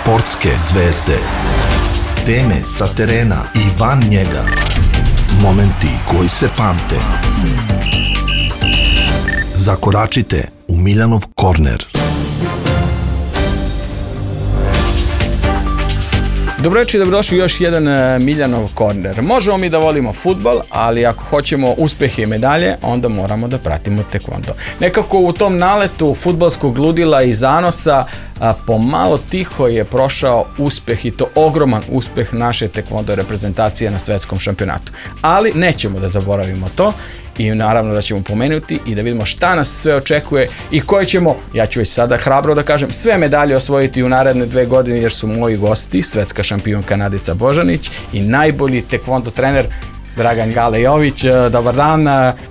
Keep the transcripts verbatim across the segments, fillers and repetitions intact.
Sportske zvezde. Teme sa terena i van njega. Momenti koji se pamte. Zakoračite u Miljanov korner. Dobro večer i dobrodošli u još jedan Miljanov korner. Možemo mi da volimo fudbal, ali ako hoćemo uspehe i medalje, onda moramo da pratimo tekvondo. Nekako u tom naletu fudbalskog ludila i zanosa a, pomalo tiho je prošao uspeh, i to ogroman uspeh naše tekvondo reprezentacije na svetskom šampionatu. Ali nećemo da zaboravimo to i naravno da ćemo pomenuti i da vidimo šta nas sve očekuje i koje ćemo, ja ću već sada hrabro da kažem, sve medalje osvojiti u naredne dve godine, jer su moji gosti svetska šampionka Nadica Božanić i najbolji tekvondo trener Dragan Gale Jović. Dobar dan,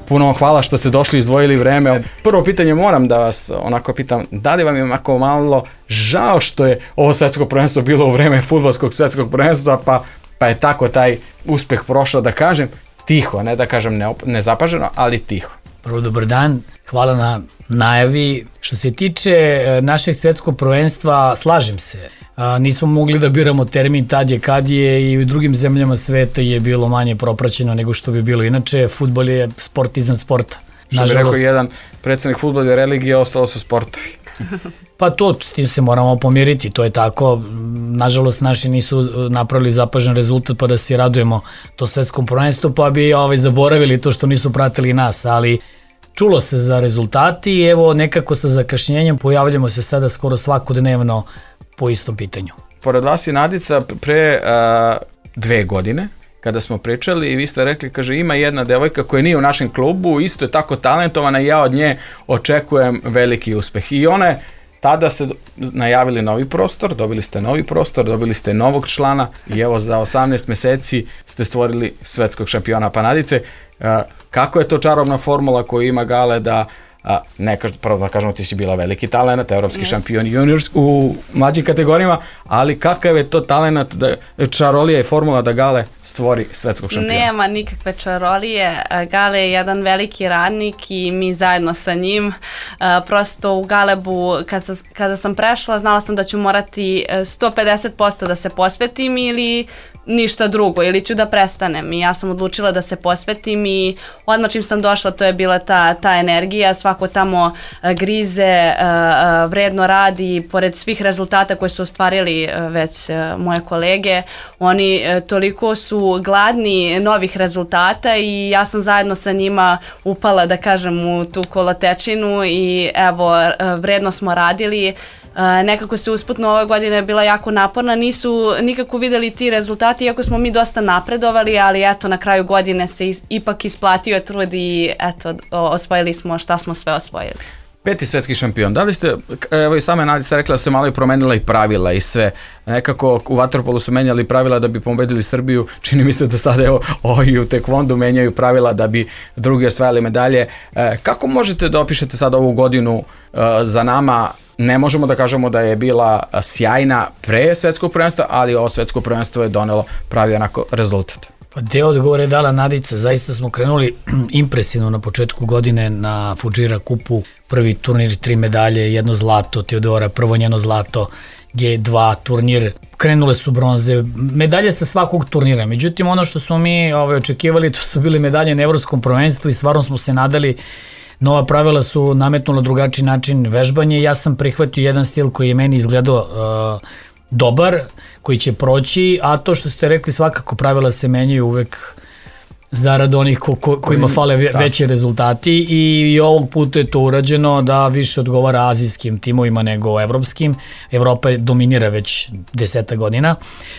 puno vam hvala što ste došli i izdvojili vreme. Prvo pitanje moram da vas onako pitam, da li vam je onako malo žao što je ovo svetsko prvenstvo bilo u vreme fudbalskog svetskog prvenstva, pa, pa je tako taj uspeh prošao, da kažem, tiho, ne da kažem ne, nezapaženo, ali tiho. Prvo, dobar dan, hvala na najavi. Što se tiče našeg svetskog prvenstva, slažem se. A, nismo mogli da biramo termin tad je kad je, i u drugim zemljama sveta je bilo manje propraćeno nego što bi bilo inače. Fudbal je sport iznad sporta. Što bi rekao jedan predsednik, fudbal je religija, ostalo su sportovi. Pa to, s tim se moramo pomiriti, to je tako. Nažalost, naši nisu napravili zapažen rezultat pa da se radujemo to svetskom prvenstvu, pa bi ovaj, zaboravili to što nisu pratili nas, ali čulo se za rezultati i evo nekako sa zakašnjenjem pojavljamo se sada skoro svakodnevno po istom pitanju. Pored vas je Nadica pre a, dve godine, kada smo pričali i vi ste rekli, kaže, ima jedna devojka koja nije u našem klubu, isto je tako talentovana i ja od nje očekujem veliki uspeh. I ona je, tada ste najavili novi prostor, dobili ste novi prostor, dobili ste novog člana i evo za osamnaest meseci ste stvorili svetskog šampiona. Pa Nadice, kako je to čarobna formula koju ima Gale da, a, ne kaž, prvo da kažemo, ti si bila veliki talent, evropski yes. šampion juniors u mlađim kategorijama, ali kakav je to talent, da, čarolija i formula da Gale stvori svetskog šampiona? Nema nikakve čarolije, Gale je jedan veliki radnik i mi zajedno sa njim. Prosto u Galebu kad sam, kada sam prešla, znala sam da ću morati sto pedeset posto da se posvetim ili ništa drugo, ili ću da prestanem, i ja sam odlučila da se posvetim i odmah čim sam došla to je bila ta, ta energija, svako tamo grize, vredno radi, pored svih rezultata koje su ostvarili već moje kolege, oni toliko su gladni novih rezultata i ja sam zajedno sa njima upala, da kažem, u tu kolotečinu i evo, vredno smo radili. Uh, nekako se usputno ove godine bila jako naporna, nisu nikako videli ti rezultati, iako smo mi dosta napredovali, ali eto, na kraju godine se is, ipak isplatio trud i eto, osvojili smo šta smo sve osvojili. Peti svetski šampion, da li ste, evo i sama Nadica rekla da se malo i promenila i pravila i sve, nekako u vaterpolu su menjali pravila da bi pobedili Srbiju, čini mi se da sada evo i u tekvondu menjaju pravila da bi drugi osvajali medalje. E, kako možete da opišete sada ovu godinu e, za nama? Ne možemo da kažemo da je bila sjajna pre svetskog prvenstva, ali ovo svetsko prvenstvo je donelo pravi onako rezultat. Pa deo odgovora je dala Nadica, zaista smo krenuli impresivno na početku godine na Fudžira kupu, prvi turnir, tri medalje, jedno zlato, Teodora, prvo njeno zlato, G dva turnir, krenule su bronze, medalje sa svakog turnira, međutim ono što smo mi ovaj, očekivali, to su bile medalje na evropskom prvenstvu i stvarno smo se nadali. Nova pravila su nametnula drugačiji način vežbanja. Ja sam prihvatio jedan stil koji je meni izgledao uh, dobar, koji će proći, a to što ste rekli, svakako pravila se menjaju uvek zarad onih ko, ko, kojima fale ve, veći rezultati i, i ovog puta je to urađeno da više odgovara azijskim timovima nego evropskim. Evropa dominira već deseta godina.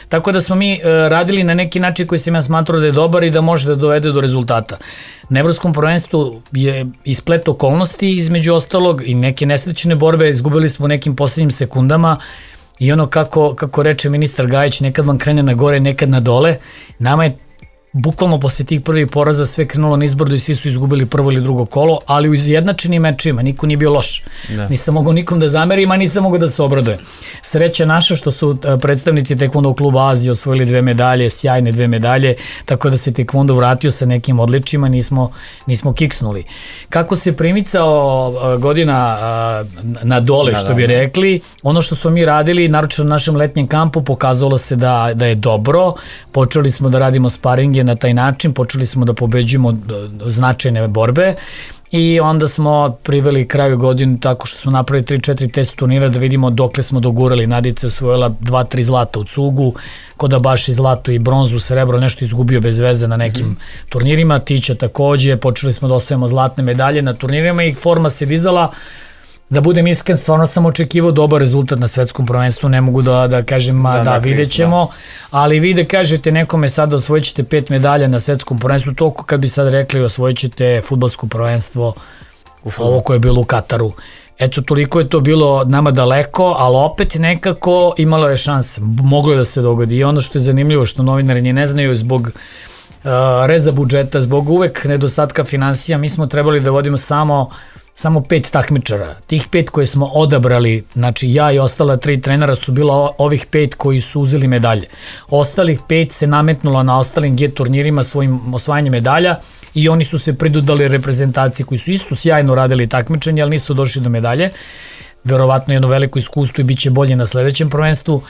Tako da smo mi uh, radili na neki način koji sam ja smatrao da je dobar i da može da dovede do rezultata. Na evropskom prvenstvu je isplet okolnosti između ostalog i neke nesrećene borbe, izgubili smo u nekim poslednjim sekundama i ono kako, kako reče ministar Gajić, nekad vam krene na gore, nekad na dole. Nama je bukvalno posle tih prvih poraza sve krenulo nizbrdo i svi su izgubili prvo ili drugo kolo, ali u izjednačenim mečima niko nije bio loš. Da. Nisam mogao nikom da zamerim, a nisam mogao da se obradujem. Sreća naša što su predstavnici Tekvondo kluba Azije osvojili dve medalje, sjajne dve medalje, tako da se Tekvondo vratio sa nekim odličima, nismo, nismo kiksnuli. Kako se primicao godina na dole, da, što bi rekli, ono što smo mi radili, naročito na našem letnjem kampu, pokazalo se da, da je dobro. Počeli smo da radimo sparinge na taj način, počeli smo da pobeđujemo značajne borbe i onda smo priveli kraju godinu tako što smo napravili tri četiri test turnira da vidimo dokle smo dogurali. Nadica je osvojila dva tri zlata u cugu, Kodabaši zlato i bronzu, srebro, nešto izgubio bez veze na nekim mm. turnirima, Tića takođe, počeli smo da osvajamo zlatne medalje na turnirima i forma se dizala. Da budem iskren, stvarno sam očekivao dobar rezultat na svetskom prvenstvu, ne mogu da, da kažem, da, da, da vidjet ćemo, da. Ali vi da kažete nekome sad da osvojit ćete pet medalja na svetskom prvenstvu, toliko kad bi sad rekli osvojit ćete fudbalsko prvenstvo, ovo koje je bilo u Kataru. Eto, toliko je to bilo nama daleko, ali opet nekako imalo je šanse, moglo je da se dogodi. I ono što je zanimljivo, što novinari nje ne znaju, zbog uh, reza budžeta, zbog uvek nedostatka finansija, mi smo trebali da vodimo samo samo pet takmičara. Tih pet koje smo odabrali, znači ja i ostala tri trenera su bila ovih pet koji su uzeli medalje. Ostalih pet se nametnulo na ostalim G turnirima svojim osvajanjem medalja i oni su se pridodali reprezentaciji koji su isto sjajno radili takmičenje, ali nisu došli do medalje. Verovatno jedno veliko iskustvo i bit će bolje na sledećem prvenstvu.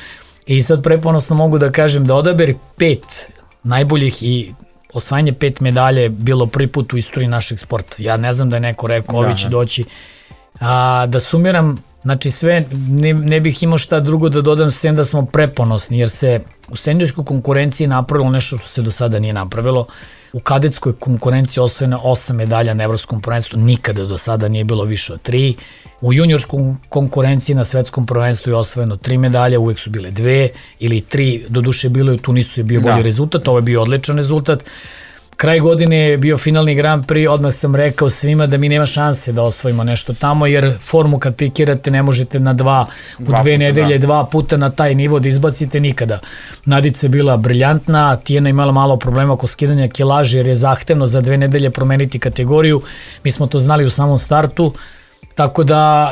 I sad preponosno mogu da kažem da odabir pet najboljih i osvajanje pet medalje je bilo prvi put u istoriji našeg sporta. Ja ne znam da je neko rekao, ovi će doći. A, da sumiram, znači sve, ne, ne bih imao šta drugo da dodam, sem da smo preponosni, jer se u seniorskoj konkurenciji napravilo nešto što se do sada nije napravilo. U kadetskoj konkurenciji osvojeno osam medalja na evropskom prvenstvu, nikada do sada nije bilo više od tri. U juniorskoj konkurenciji na svetskom prvenstvu je osvojeno tri medalje, uvek su bile dve ili tri, do duše bilo je, tu nisu je bio bolji da. rezultat, ovo je bio odličan rezultat. Kraj godine je bio finalni Grand Prix, odmah sam rekao svima da mi nema šanse da osvojimo nešto tamo, jer formu kad pikirate ne možete na dva, u dva dve puta, nedelje, da. dva puta na taj nivo da izbacite nikada. Nadica je bila briljantna, Tijena imala malo problema oko skidanja kilaže, jer je zahtevno za dve nedelje promeniti kategoriju, mi smo to znali u samom startu, tako da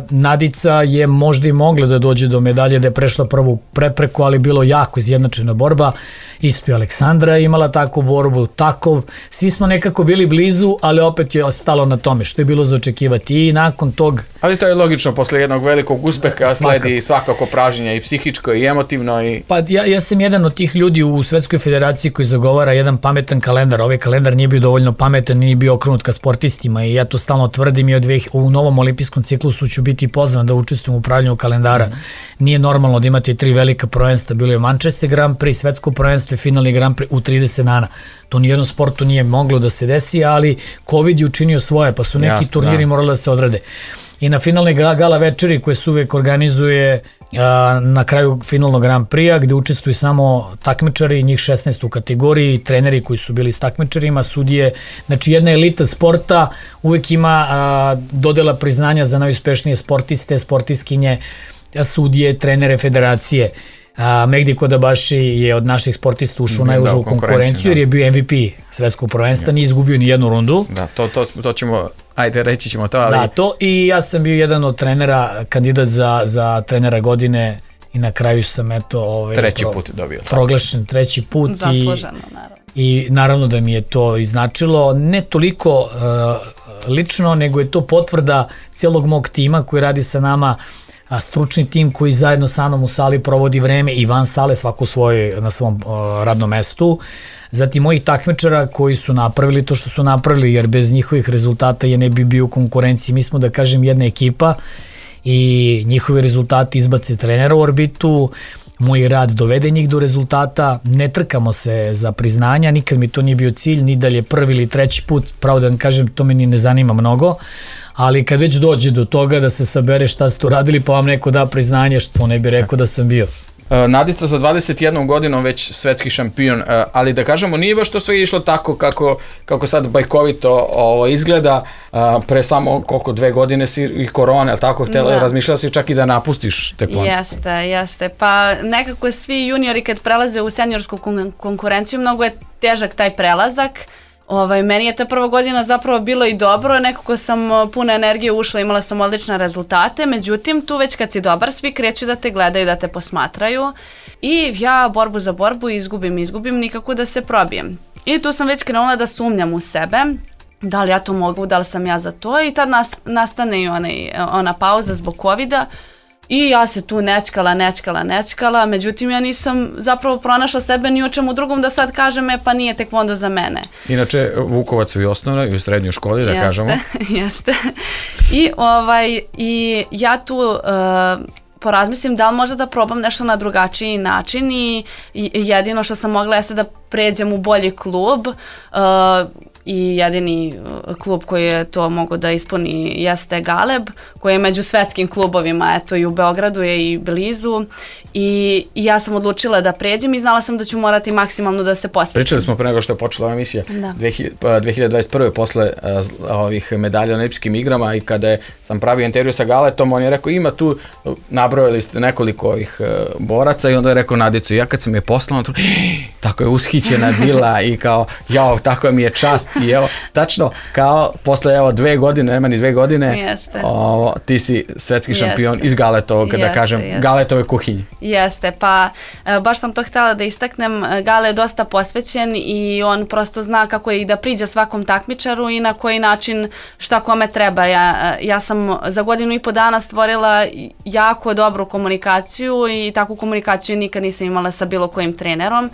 uh, Nadica je možda i mogla da dođe do medalje, da je prešla prvu prepreku, ali bilo jako izjednačena borba. Isto i Aleksandra imala takvu borbu, takov. Svi smo nekako bili blizu, ali opet je ostalo na tome, što je bilo za očekivati. I nakon tog... Ali to je logično, posle jednog velikog uspeha sledi svakako pražnjenje i psihičko i emotivno. I... Pa ja, ja sam jedan od tih ljudi u Svetskoj federaciji koji zagovara jedan pametan kalendar. Ovaj kalendar nije bio dovoljno pametan, nije bio okrenut ka sportistima i ja to stalno tvrdim i od dve, u novom olimpijskom ciklusu ću biti pozvan da učestvujem u upravljanju kalendara. Mm. Nije normalno da imate tri velika prvenstva, bilo je Manchester Grand Prix, svetsko prvenstvo i finalni Grand Prix u trideset dana. To nijednom sportu nije moglo da se desi, ali COVID je učinio svoje, pa su neki Jasne, turniri da. morali da se odrade. I na finalne gala večeri koje se uvek organizuje a, na kraju finalnog Grand Prix-a, gde učestvuju samo takmičari, njih šesnaest u kategoriji, treneri koji su bili s takmičarima, sudije, znači jedna elita sporta, uvek ima a, dodela priznanja za najuspešnije sportiste, sportiskinje, sudije, trenere, federacije. A, Megdi Kodabaši je od naših sportista ušao u najužu konkurenciju, da. jer je bio M V P svetskog prvenstva, nije izgubio ni jednu rundu. Da, to, to, to ćemo, ajde reći ćemo to, ali... Da, to i ja sam bio jedan od trenera, kandidat za, za trenera godine i na kraju sam eto... Ovaj, treći pro, put dobio. Proglašen treći put. Zasluženo, naravno. I naravno da mi je to iznačilo, ne toliko uh, lično, nego je to potvrda cijelog mog tima koji radi sa nama, a stručni tim koji zajedno sa mnom u sali provodi vreme i van sale, svako svoj, na svom uh, radnom mestu. Zatim mojih takmičara koji su napravili to što su napravili, jer bez njihovih rezultata je ne bi bio u konkurenciji. Mi smo, da kažem, jedna ekipa i njihovi rezultati izbace trenera u orbitu, moj rad dovede njih do rezultata, ne trkamo se za priznanja, nikad mi to nije bio cilj, ni dalje prvi ili treći put, pravo da vam kažem, to me ni ne zanima mnogo, ali kad već dođe do toga da se sabere šta ste uradili pa vam neko da priznanje, što ne bi rekao da sam bio. Nadica sa dvadeset jednom godinom već svetski šampion, ali da kažemo nije baš to sve išlo tako kako, kako sad bajkovito ovo, izgleda. Pre samo koliko dve godine si i korona, ali tako, htjela, da. Razmišljala si čak i da napustiš tekvondo. Jeste, jeste. Pa nekako svi juniori kad prelaze u seniorsku kon- konkurenciju, mnogo je težak taj prelazak. Ovaj, meni je ta prva godina zapravo bilo i dobro, nekako sam puna energije ušla, imala sam odlične rezultate, međutim tu već kad si dobar svi kreću da te gledaju, da te posmatraju i ja borbu za borbu izgubim, izgubim, nikako da se probijem. I tu sam već krenula da sumnjam u sebe, da li ja to mogu, da li sam ja za to i tad nas, nastane i onaj, ona pauza zbog covida. I ja se tu nečkala, nečkala, nečkala, međutim ja nisam zapravo pronašla sebe ni u čemu drugom da sad kažem, e pa nije tekvondo za mene. Inače, Vukovac u i osnovnoj i u srednjoj školi, da jeste, kažemo. Jeste, I, ovaj, i ja tu uh, porazmislim da li možda da probam nešto na drugačiji način i, i jedino što sam mogla jeste da pređem u bolji klub, uh, i jedini klub koji je to mogao da ispuni jeste Galeb, koji je među svetskim klubovima, eto i u Beogradu je i blizu i, i ja sam odlučila da pređem i znala sam da ću morati maksimalno da se posvetim. Pričali smo pre nego što je počela ova emisija da. dve hiljade dvadeset prve posle uh, ovih medalja na olimpijskim igrama i kada je, sam pravio intervju sa Galetom, on je rekao ima tu, nabrojali ste nekoliko ovih uh, boraca i onda je rekao Nadicu, ja kad sam je poslao, tu, tako je ushićena bila i kao, jao, tako mi je čast. I evo, tačno, kao posle evo dve godine, nema ni dve godine, o, ti si svetski šampion jeste. Iz Galetovog, da kažem, jeste. Galetove kuhinje. Jeste, pa baš sam to htjela da istaknem, Gale je dosta posvećen i on prosto zna kako je i da priđe svakom takmičaru i na koji način šta kome treba. Ja, ja sam za godinu i po dana stvorila jako dobru komunikaciju i takvu komunikaciju nikad nisam imala sa bilo kojim trenerom.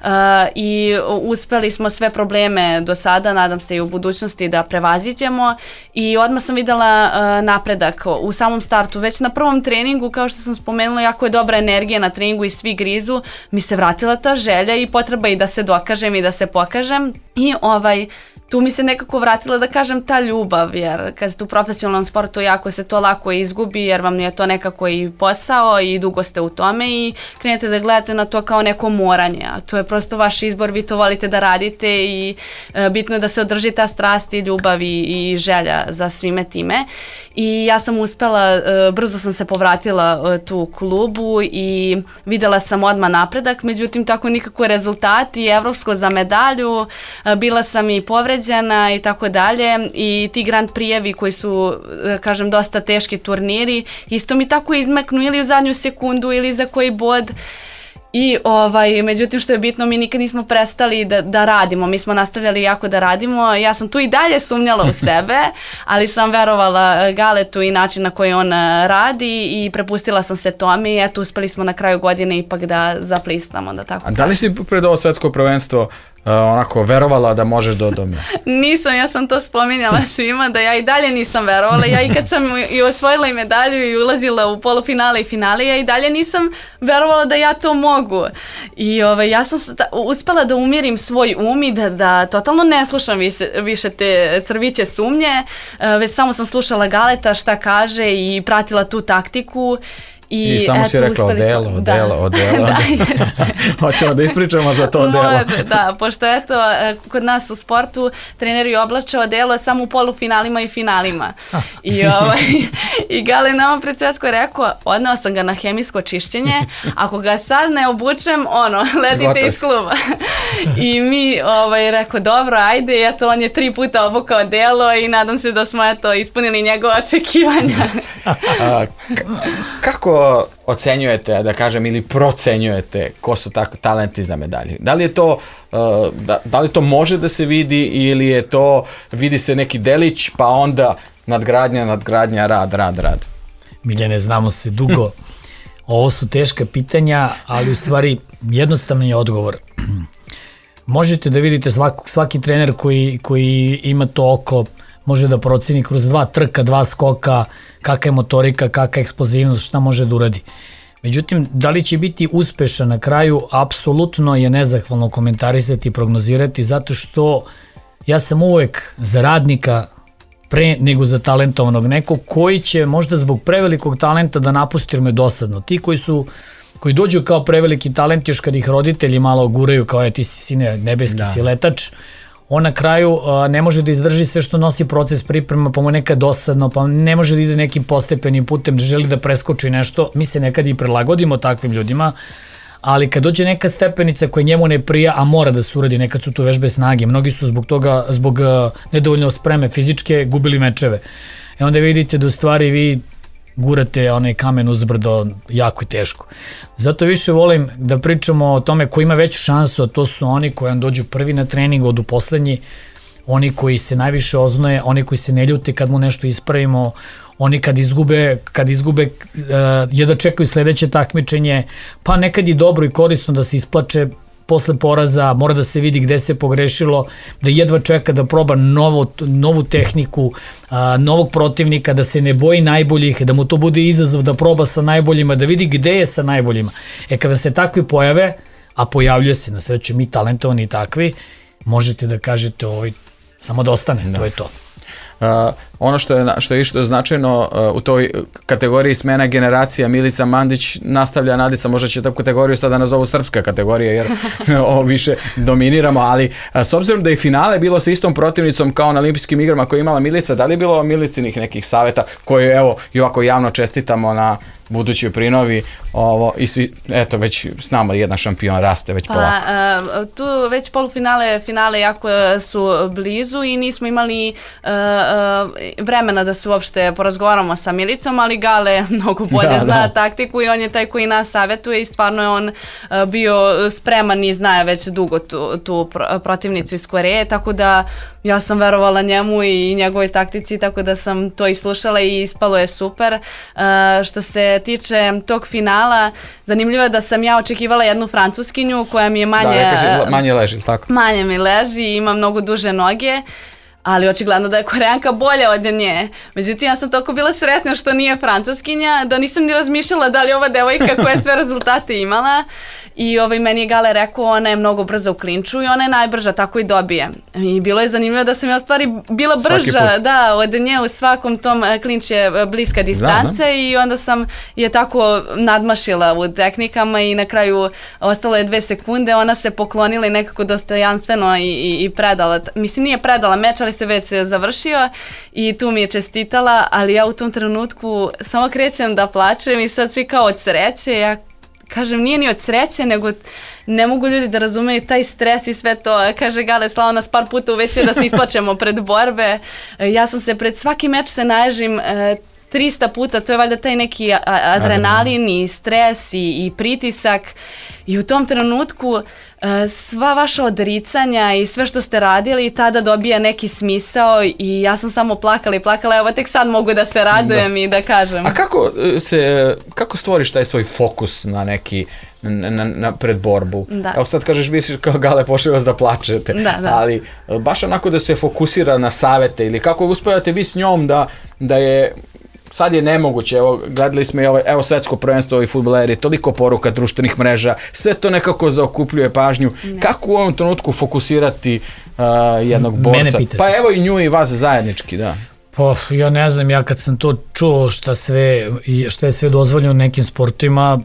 Uh, i uspeli smo sve probleme do sada, nadam se i u budućnosti da prevaziđemo i odmah sam videla uh, napredak u samom startu, već na prvom treningu, kao što sam spomenula, jako je dobra energija na treningu i svi grizu, mi se vratila ta želja i potreba i da se dokažem i da se pokažem i ovaj tu mi se nekako vratila, da kažem, ta ljubav, jer kad ste u profesionalnom sportu jako se to lako izgubi, jer vam je to nekako i posao i dugo ste u tome i krenete da gledate na to kao neko moranje, a to je prosto vaš izbor, vi to volite da radite i e, bitno je da se održi ta strast i ljubav i, i želja za svime time. I ja sam uspela, e, brzo sam se povratila e, tu u klubu i videla sam odmah napredak, međutim tako nikako rezultati, evropsko za medalju, e, bila sam i povređena i tako dalje i ti Grand Prijevi koji su, da kažem, dosta teški turniri, isto mi tako izmeknu ili u zadnju sekundu ili za koji bod. I ovaj, međutim što je bitno, mi nikad nismo prestali da, da radimo, mi smo nastavljali jako da radimo, ja sam tu i dalje sumnjala u sebe, ali sam verovala Galetu i način na koji on radi i prepustila sam se tome i eto uspeli smo na kraju godine ipak da zaplisnamo. Da, tako. A da li si pred ovo svetsko prvenstvo Uh, onako verovala da možeš do doma? Nisam, ja sam to spominjala svima da ja i dalje nisam verovala, ja i kad sam i osvojila i medalju i ulazila u polufinale i finale, ja i dalje nisam verovala da ja to mogu i ovaj, ja sam sta, uspela da umirim svoj um i da, da totalno ne slušam više, više te crviće sumnje, uh, već samo sam slušala Galeta šta kaže i pratila tu taktiku. I, I samo eto, si rekla odelo, odelo, odelo. Da, jeste. Hoćemo da ispričamo za to odelo. Može, da, pošto eto, kod nas u sportu treneri oblače odelo samo u polufinalima i finalima. I, ovaj, i Gale nama pred svjetsko je rekao, odneo sam ga na hemijsko čišćenje, ako ga sad ne obučem, ono, letite iz kluba. I mi ovaj, rekao, dobro, ajde, i eto, on je tri puta obukao odelo i nadam se da smo eto, ispunili njegove očekivanja. A, k- kako ocenjujete, da kažem, ili procenjujete ko su tako talenti za medalje? Da li je to, uh, da, da li to može da se vidi ili je to, vidi se neki delić pa onda nadgradnja, nadgradnja, rad, rad, rad? Miljane, znamo se dugo. Ovo su teška pitanja, ali u stvari jednostavno je odgovor. Možete da vidite svaki, svaki trener koji, koji ima to oko, može da proceni kroz dva trka, dva skoka, kakva je motorika, kakva je eksplozivnost, šta može da uradi. Međutim, da li će biti uspešan na kraju, apsolutno je nezahvalno komentarisati i prognozirati, zato što ja sam uvek za radnika pre nego za talentovanog nekog koji će možda zbog prevelikog talenta da napusti, jer mu je dosadno. Ti koji su koji dođu kao preveliki talent, još kad ih roditelji malo guraju kao je ti si sine nebeski da. si letač, on na kraju a, ne može da izdrži sve što nosi proces priprema, pa mu nekad dosadno, pa ne može da ide nekim postepenim putem, da želi da preskoči nešto. Mi se nekad i prilagodimo takvim ljudima, ali kad dođe neka stepenica koja njemu ne prija, a mora da se uradi, nekad su tu vežbe snage, mnogi su zbog toga, zbog uh, nedovoljno spreme fizičke, gubili mečeve. E onda vidite da u stvari vi gurate onaj kamen uzbrdo jako i teško. Zato više volim da pričamo o tome ko ima veću šansu, a to su oni koji vam dođu prvi na trening, odu poslednji, oni koji se najviše oznoje, oni koji se ne ljute kad mu nešto ispravimo, oni kad izgube, kad izgube uh, jedva čekaju sledeće takmičenje, pa nekad je dobro i korisno da se isplače posle poraza, mora da se vidi gde se pogrešilo, da jedva čeka da proba novu, novu tehniku, a, novog protivnika, da se ne boji najboljih, da mu to bude izazov da proba sa najboljima, da vidi gde je sa najboljima. E kada se takvi pojave, a pojavljuje se, na sreću mi talentovani i takvi, možete da kažete ovaj, samo da ostane, da. To je to. Uh, ono što je, što je išto značajno uh, u toj kategoriji smena generacija, Milica Mandić nastavlja Nadica, možda će tu kategoriju sada nazovu srpska kategorija jer ovo više dominiramo, ali uh, s obzirom da je finale bilo sa istom protivnicom kao na olimpijskim igrama koje je imala Milica, da li je bilo Milicinih nekih saveta koje evo i ovako javno čestitamo na budućoj prinovi, ovo, i svi, eto, već s nama jedan šampion raste, već pa, polako. Uh, tu već polufinale, finale jako su blizu i nismo imali uh, uh, vremena da se uopšte porazgovaramo sa Milicom, ali Gale mnogo bolje da, zna da. taktiku i on je taj koji nas savjetuje i stvarno je on uh, bio spreman i zna već dugo tu, tu protivnicu iz Koreje, tako da ja sam verovala njemu i njegovoj taktici, tako da sam to i slušala i ispalo je super. Uh, što se tiče tog finala, zanimljivo je da sam ja očekivala jednu Francuskinju koja mi je manje... Da, kaže, manje leži, tako? Manje mi leži i ima mnogo duže noge, ali očigledno da je Koreanka bolja od nje. Međutim, ja sam toliko bila sretna što nije Francuskinja, da nisam ni razmišljala da li je ova devojka koja je sve rezultate imala. I ovaj, meni je Gale rekao, ona je mnogo brza u klinču i ona je najbrža, tako i dobije. I bilo je zanimljivo da sam ja u stvari bila brža da, od nje u svakom tom, klinč je bliska distanca, da, i onda sam je tako nadmašila u tehnikama i na kraju ostalo je dve sekunde, ona se poklonila i nekako dostojanstveno i, i, i predala. Mislim, nije predala meč, ali se već završio i tu mi je čestitala, ali ja u tom trenutku samo krećem da plačem i sad svi kao od sreće, ja kažem, nije ni od sreće, nego ne mogu ljudi da razumeju taj stres i sve to. Kaže Gale, slao nas par puta u ve ce da se isplačemo pred borbe. Ja sam se pred svaki meč se naježim trista puta, to je valjda taj neki adrenalin i stres i, i pritisak. I u tom trenutku sva vaša odricanja i sve što ste radili tada dobija neki smisao i ja sam samo plakala i plakala, evo tek sad mogu da se radujem da. i da kažem. A kako se, kako stvoriš taj svoj fokus na neki, na, na, na pred borbu? Da. Evo sad kažeš, misliš kao Gale, pošli vas da plačete, da, da. ali baš onako da se fokusira na savete ili kako uspevate vi s njom da, da je sad je nemoguće, evo, gledali smo i ovo, evo svetsko prvenstvo, ovi fudbaleri, toliko poruka društvenih mreža, sve to nekako zaokupljuje pažnju. Ne. Kako u ovom trenutku fokusirati uh, jednog borca? Pa evo i nju i vas zajednički, da. Pa ja ne znam, ja kad sam to čuo šta sve, šta je sve dozvoljeno u nekim sportima,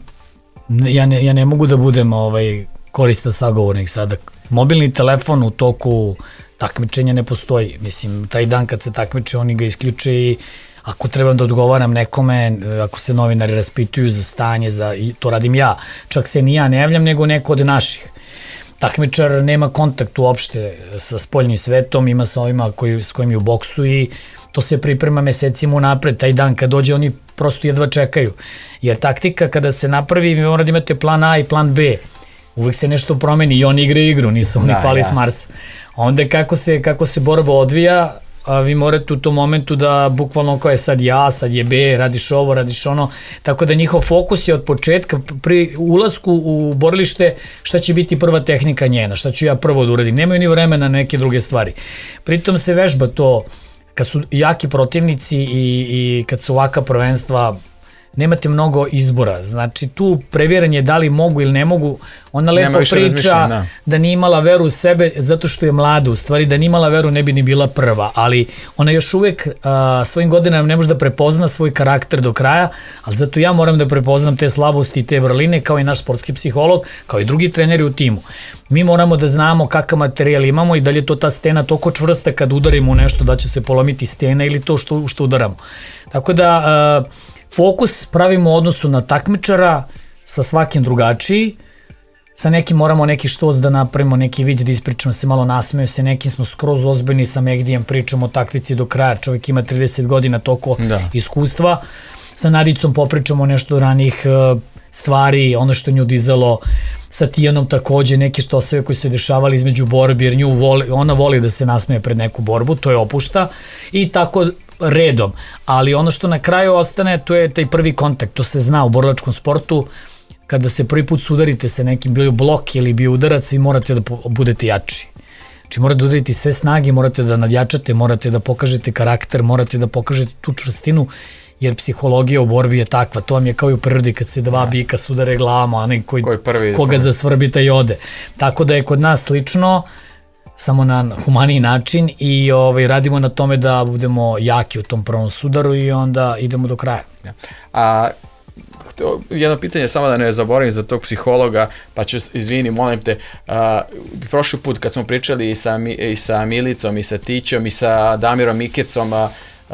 ja ne, ja ne mogu da budem ovaj, koristan sagovornik sada. Mobilni telefon u toku takmičenja ne postoji. Mislim, taj dan kad se takmiče, oni ga isključe i ako trebam da odgovaram nekome, ako se novinari raspituju za stanje, za, i to radim ja, čak se ni ja ne javljam, nego neko od naših. Takmičar nema kontakt uopšte sa spoljnim svetom, ima sa ovima koji, s kojim je u boksu i to se priprema mesecima unapred. Taj dan kad dođe oni prosto jedva čekaju. Jer taktika kada se napravi, vi morate imate plan A i plan B. Uvijek se nešto promeni i oni igraju igru, nisu oni da, pali jasno. S Marsa. Onda kako se, kako se borba odvija, a vi morate u tom momentu da bukvalno kao je sad ja, sad je B, radiš ovo, radiš ono, tako da njihov fokus je od početka pri ulasku u borilište šta će biti prva tehnika njena, šta ću ja prvo da uradim, nemaju ni vremena na neke druge stvari. Pritom se vežba to, kad su jaki protivnici i, i kad su ovaka prvenstva, nemate mnogo izbora. Znači tu previranje da li mogu ili ne mogu, ona lepo priča da. da nije imala veru u sebe zato što je mlada, u stvari da nije imala veru ne bi ni bila prva, ali ona još uvek a, svojim godinama ne može da prepozna svoj karakter do kraja, ali zato ja moram da prepoznam te slabosti i te vrline kao i naš sportski psiholog, kao i drugi treneri u timu. Mi moramo da znamo kakav materijal imamo i da li je to ta stena toliko čvrsta kad udarimo u nešto da će se polomiti stena ili to što, što udaramo. Tako da a, fokus pravimo u odnosu na takmičara, sa svakim drugačiji, sa nekim moramo neki štos da napravimo, neki vic da ispričamo, se malo nasmeju se, nekim smo skroz ozbiljni, sa Megdijem pričamo o taktici do kraja, čovjek ima trideset godina toliko da. iskustva, sa Nadicom popričamo nešto od ranih uh, stvari, ono što nju dizalo, sa Tijanom takođe neke štoseve koji su se dešavali između borbi, jer nju voli, ona voli da se nasmeje pred neku borbu, to je opušta i tako redom, ali ono što na kraju ostane, to je taj prvi kontakt, to se zna u borilačkom sportu, kada se prvi put sudarite sa nekim, bio blok ili bio udarac, vi morate da budete jači. Znači morate da udariti sve snage, morate da nadjačate, morate da pokažete karakter, morate da pokažete tu čvrstinu, jer psihologija u borbi je takva, to vam je kao i u prirodi kad se dva bika sudare glavama, onaj koji, koji prvi, koga prvi. zasvrbi taj ode. Tako da je kod nas slično, samo na humaniji način i ovaj, radimo na tome da budemo jaki u tom prvom sudaru i onda idemo do kraja. A jedno pitanje, samo da ne zaboravim za tog psihologa, pa ću, izvini, molim te, uh, prošli put kad smo pričali i sa, i sa Milicom, i sa Tićom, i sa Damirom Mikecom, uh,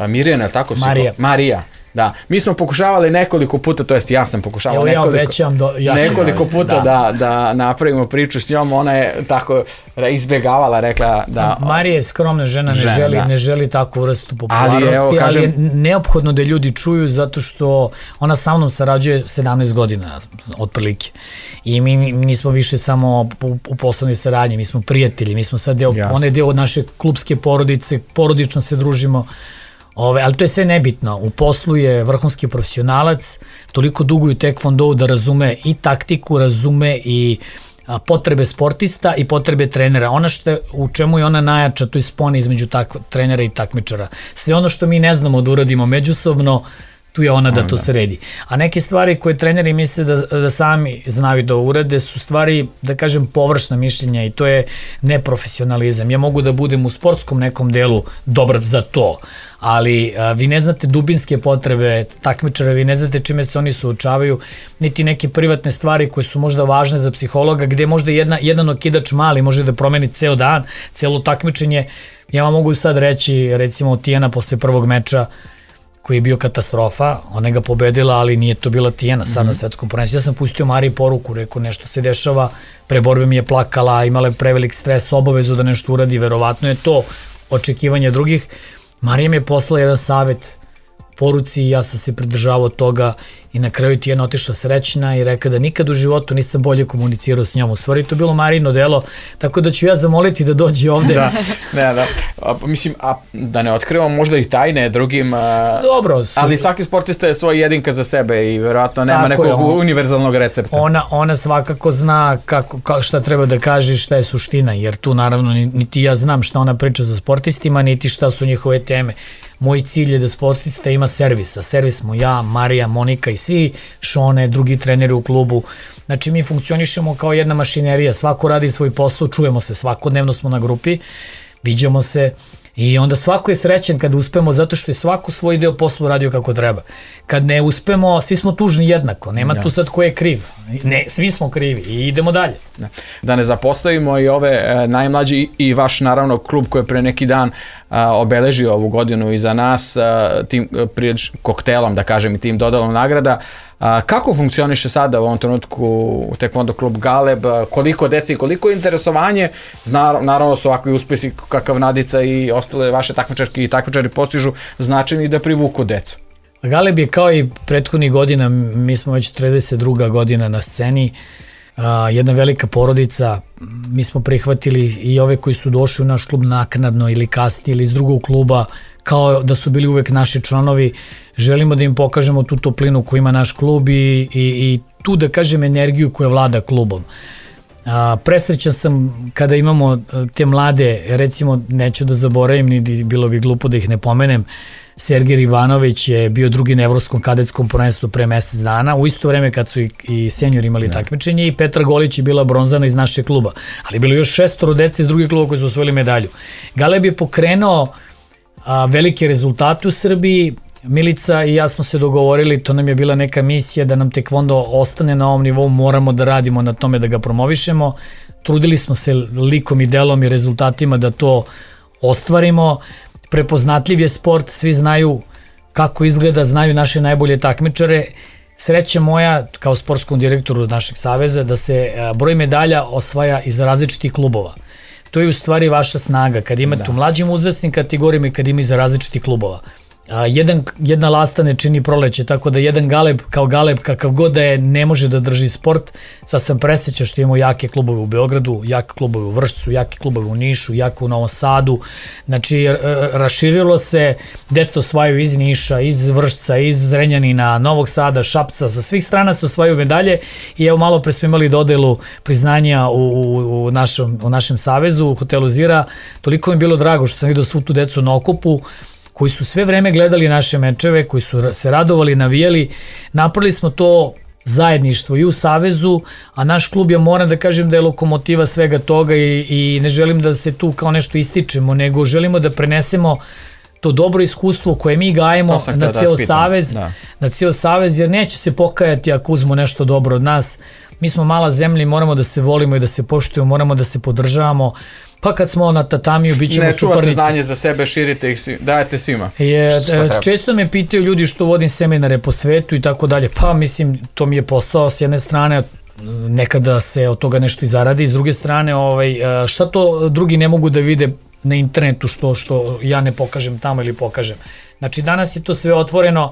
Mirjana, je li tako? Marija. Marija. Da, mi smo pokušavali nekoliko puta, to jest ja sam pokušavao Evo nekoliko, ja obećam do, ja nekoliko dovesti, puta da. Da, da napravimo priču s njom, ona je tako izbjegavala, rekla da... Marija je skromna žena, ne, žena, želi, ne želi takvu vrstu popularnosti, ali, evo, kažem, ali je neophodno da ljudi čuju zato što ona sa mnom sarađuje sedamnaest godina, otprilike. I mi, mi nismo više samo u, u poslovnoj saradnji, mi smo prijatelji, mi smo sad deo, ona je deo od naše klubske porodice, porodično se družimo. Ove, ali to je sve nebitno. U poslu je vrhunski profesionalac, toliko dugo u tekvondou da razume i taktiku, razume i a, potrebe sportista i potrebe trenera. Ona što, u čemu je ona najjača, to je spona između tak, trenera i takmičara. Sve ono što mi ne znamo da uradimo međusobno, tu je ona da to sredi. A neke stvari koje treneri misle da, da sami znaju da urade su stvari, da kažem, površna mišljenja i to je neprofesionalizam. Ja mogu da budem u sportskom nekom delu dobar za to, ali a, vi ne znate dubinske potrebe takmičara, vi ne znate čime se oni suočavaju, niti neke privatne stvari koje su možda važne za psihologa, gde možda jedna, jedan okidač mali može da promeni ceo dan, celo takmičenje. Ja vam mogu sad reći, recimo, Tijana posle prvog meča, koji je bio katastrofa, ona ga pobedila, ali nije to bila Tijana sad mm-hmm. na svetskom prvenstvu. Ja sam pustio Mariji poruku, rekao nešto se dešava, pre borbe mi je plakala, imala je prevelik stres, obavezu da nešto uradi, verovatno je to očekivanje drugih. Marija mi je poslala jedan savet poruci i ja sam se pridržavao toga i na kraju Tijana otišla srećna i rekla da nikad u životu nisam bolje komunicirao s njom. U stvari to bilo Marijino delo, tako da ću ja zamoliti da dođe ovde. Da, ne, da. A, mislim, a, da ne otkrivamo možda i tajne drugim, a, dobro, su, ali svaki sportista je svoj jedinka za sebe i verovatno nema nekog je, on, univerzalnog recepta. Ona, ona svakako zna kako, kako, šta treba da kaže, šta je suština, jer tu naravno niti ja znam šta ona priča za sportistima, niti šta su njihove teme. Moj cilj je da sportista ima servis, a servis smo ja, Marija, Monika i svi Šone, drugi treneri u klubu. Znači mi funkcionišemo kao jedna mašinerija, svako radi svoj posao, čujemo se, svakodnevno smo na grupi, viđamo se i onda svako je srećen kada uspemo zato što je svako svoj deo posla radio kako treba. Kad ne uspemo, svi smo tužni jednako, nema ja. tu sad ko je kriv, ne, svi smo krivi i idemo dalje. Da, da ne zapostavimo i ove e, najmlađi i vaš naravno klub koji je pre neki dan a, obeležio ovu godinu iza nas a, tim prije koktelom, da kažem, i tim dodelom nagrada. A, kako funkcioniše sada u ovom trenutku Taekwondo klub Galeb, koliko deci i koliko interesovanje, Zna, naravno su ovakvi uspesi kakav Nadica i ostale vaše takmičarke i takmičari postižu značajni da privuku decu? Galeb je kao i prethodnih godina, mi smo već trideset druga godina na sceni, uh, jedna velika porodica, mi smo prihvatili i ove koji su došli u naš klub naknadno ili kasnije ili iz drugog kluba, kao da su bili uvek naši članovi. Želimo da im pokažemo tu toplinu koju ima naš klub i, i, i tu, da kažem, energiju koja vlada klubom. A, presrećan sam kada imamo te mlade, recimo neću da zaboravim, ni bilo bi glupo da ih ne pomenem, Sergej Ivanović je bio drugi na evropskom kadetskom prvenstvu pre mesec dana, u isto vreme kad su i, i seniori imali takmičenje, i Petra Golić je bila bronzana iz našeg kluba, ali bilo još šestoro dece iz drugih kluba koji su osvojili medalju. Galeb je pokrenuo a, velike rezultate u Srbiji. Milica i ja smo se dogovorili, to nam je bila neka misija da nam tekvondo ostane na ovom nivou, moramo da radimo na tome da ga promovišemo. Trudili smo se likom i delom i rezultatima da to ostvarimo. Prepoznatljiv je sport, svi znaju kako izgleda, znaju naše najbolje takmičare. Sreća moja kao sportskom direktoru našeg saveza da se broj medalja osvaja iz različitih klubova. To je u stvari vaša snaga, kad imate da. u mlađim uzrasnim kategorijama i kad ima iz različitih klubova. A, jedan, jedna lasta ne čini proleće, tako da jedan Galeb kao Galeb kakav god da je ne može da drži sport. Sad sam presrećan što imamo jake klubove u Beogradu, jake klubove u Vršcu, jake klubove u Nišu, jake u Novom Sadu. Znači raširilo se, deca osvajaju iz Niša, iz Vršca, iz Zrenjanina, Novog Sada, Šapca, sa svih strana se osvajaju medalje i evo malo pre smo imali dodelu priznanja u, u, u, našem, u našem savezu, u hotelu Zira. Toliko mi je bilo drago što sam vidio svu tu decu na okupu, koji su sve vreme gledali naše mečeve, koji su se radovali, navijali. Napravili smo to zajedništvo i u savezu, a naš klub, ja moram da kažem da je lokomotiva svega toga i, i ne želim da se tu kao nešto ističemo, nego želimo da prenesemo to dobro iskustvo koje mi gajemo na ceo savez, da. na ceo savez, jer neće se pokajati ako uzmo nešto dobro od nas. Mi smo mala zemlja i moramo da se volimo i da se poštujemo, moramo da se podržavamo. Pa kad smo na tatamiju, bit ćemo suparnici. Ne čuvate znanje za sebe, širite ih, dajete svima. Je, često me pitaju ljudi što vodim seminare po svetu i tako dalje. Pa mislim, to mi je posao s jedne strane, nekada se od toga nešto i zaradi, s druge strane, ovaj, šta to drugi ne mogu da vide na internetu što, što ja ne pokažem tamo ili pokažem. Znači danas je to sve otvoreno,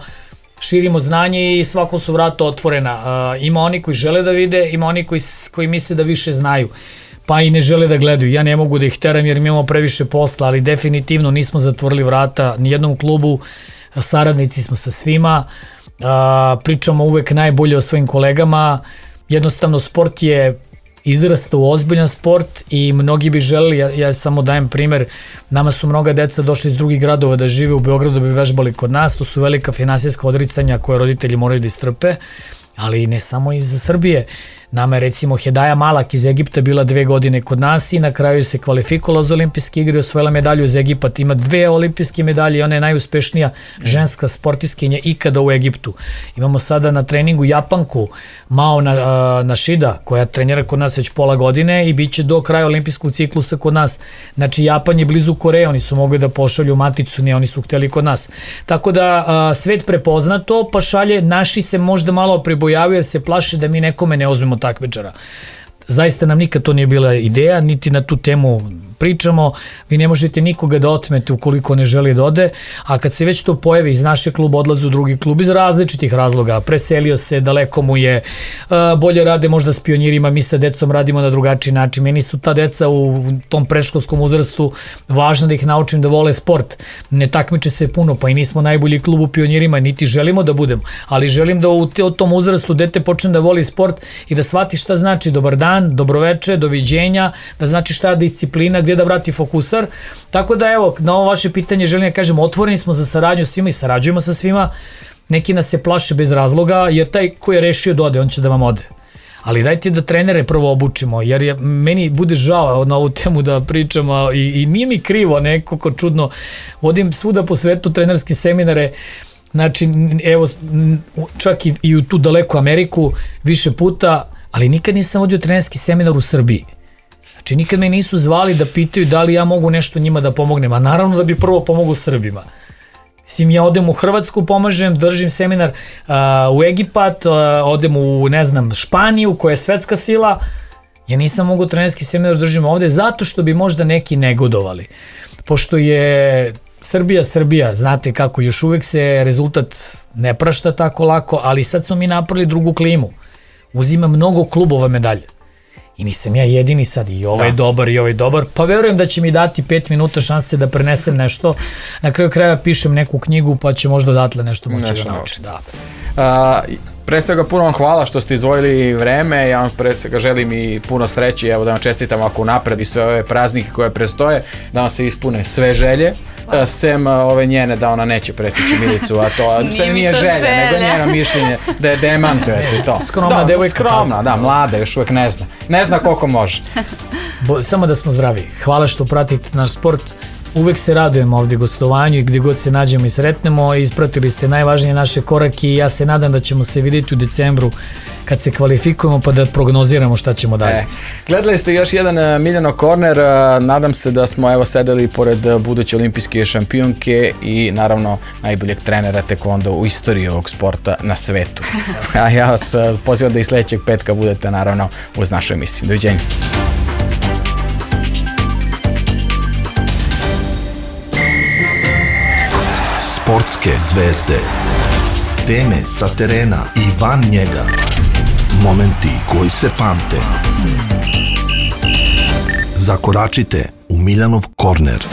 širimo znanje i svako su vrata otvorena. Uh, ima oni koji žele da vide, ima oni koji, koji misle da više znaju, pa i ne žele da gledaju. Ja ne mogu da ih teram jer mi imamo previše posla, ali definitivno nismo zatvorili vrata ni jednom klubu, saradnici smo sa svima, uh, pričamo uvek najbolje o svojim kolegama, jednostavno sport je izrasta u ozbiljan sport i mnogi bi želeli, ja, ja samo dajem primer, nama su mnoga deca došli iz drugih gradova da žive u Beogradu da bi vežbali kod nas, to su velika finansijska odricanja koje roditelji moraju da istrpe, ali ne samo iz Srbije. Nama je recimo Hedaja Malak iz Egipta bila dve godine kod nas i na kraju se kvalifikovala za olimpijske igre i osvojila medalju iz Egipat. Ima dve olimpijske medalje i ona je najuspešnija ženska sportiskinja ikada u Egiptu. Imamo sada na treningu Japanku Mao Nashida koja trenira kod nas već pola godine i bit će do kraja olimpijskog ciklusa kod nas. Znači Japan je blizu Koreje, oni su mogli da pošalju maticu, ne, oni su hteli kod nas. Tako da a, svet prepozna to, pa šalje, naši se možda malo pribojavaju jer se plaše da mi nekome ne uzmemo takmičara. Zaista nam nikad to nije bila ideja, niti na tu temu pričamo, vi ne možete nikoga da otmete ukoliko ne želi da ode, a kad se već to pojavi iz našeg kluba odlazi u drugi klub iz različitih razloga, preselio se, daleko mu je, bolje rade možda s pionirima, mi sa decom radimo na drugačiji način, meni su ta deca u tom predškolskom uzrastu važno da ih naučim da vole sport, ne takmiče se puno, pa i nismo najbolji klub u pionirima, niti želimo da budemo, ali želim da u tom uzrastu dete počne da voli sport i da shvati šta znači dobar dan, dobroveče, doviđenja, da znači šta je disciplina, gdje da vrati fokusar, tako da evo, na ovo vaše pitanje želim da kažem, otvoreni smo za saradnju svima i sarađujemo sa svima, neki nas se plaše bez razloga, jer taj ko je rešio da ode, on će da vam ode. Ali dajte da trenere prvo obučimo, jer je, meni bude žao na ovu temu da pričam i, i nije mi krivo nekako čudno, vodim svuda po svetu trenerske seminare, znači evo, čak i, i u tu daleku Ameriku više puta, ali nikad nisam vodio trenerski seminar u Srbiji. Znači nikad me nisu zvali da pitaju da li ja mogu nešto njima da pomognem, a naravno da bi prvo pomogao Srbima. Mislim, ja odem u Hrvatsku, pomažem, držim seminar uh, u Egipat, uh, odem u, ne znam, Španiju, koja je svetska sila, ja nisam mogu trenerski seminar držim ovde, zato što bi možda neki negodovali. Pošto je Srbija, Srbija, znate kako, još uvek se rezultat ne prašta tako lako, ali sad smo mi napravili drugu klimu. Uzima mnogo klubova medalje. I nisam ja jedini sad, i ovaj da. dobar, i ovaj dobar, pa verujem da će mi dati pet minuta šanse da prenesem nešto. Na kraju kraja pišem neku knjigu, pa će možda odatle nešto moći nešto da naučim. Da. Uh, Pre svega puno vam hvala što ste izvojili vreme, ja vam pre svega želim i puno sreće, evo da vam čestitam ako napred i sve ove praznike koje prestoje, da vam se ispune sve želje, wow. sem ove njene da ona neće prestići Milicu, a to nije, nije želja, želja, nego njeno mišljenje da je demantujete to. Skromna da, devojka. Skromna, da, mlada, još uvek ne zna. Ne zna koliko može. Bo, samo da smo zdravi. Hvala što pratite naš sport. Uvek se radujemo ovdje gostovanju i gdje god se nađemo i sretnemo. Ispratili ste najvažnije naše korake i ja se nadam da ćemo se vidjeti u decembru kad se kvalifikujemo pa da prognoziramo šta ćemo dalje. E, gledali ste još jedan Miljano Korner, nadam se da smo evo sedeli pored buduće olimpijske šampionke i naravno najboljeg trenera tekvondo u istoriji ovog sporta na svetu. A ja vas pozivam da i sljedećeg petka budete naravno uz našu emisiju. Doviđenja. Sportske zvezde, teme sa terena i van njega, momenti koji se pamte. Zakoračite u Miljanov korner.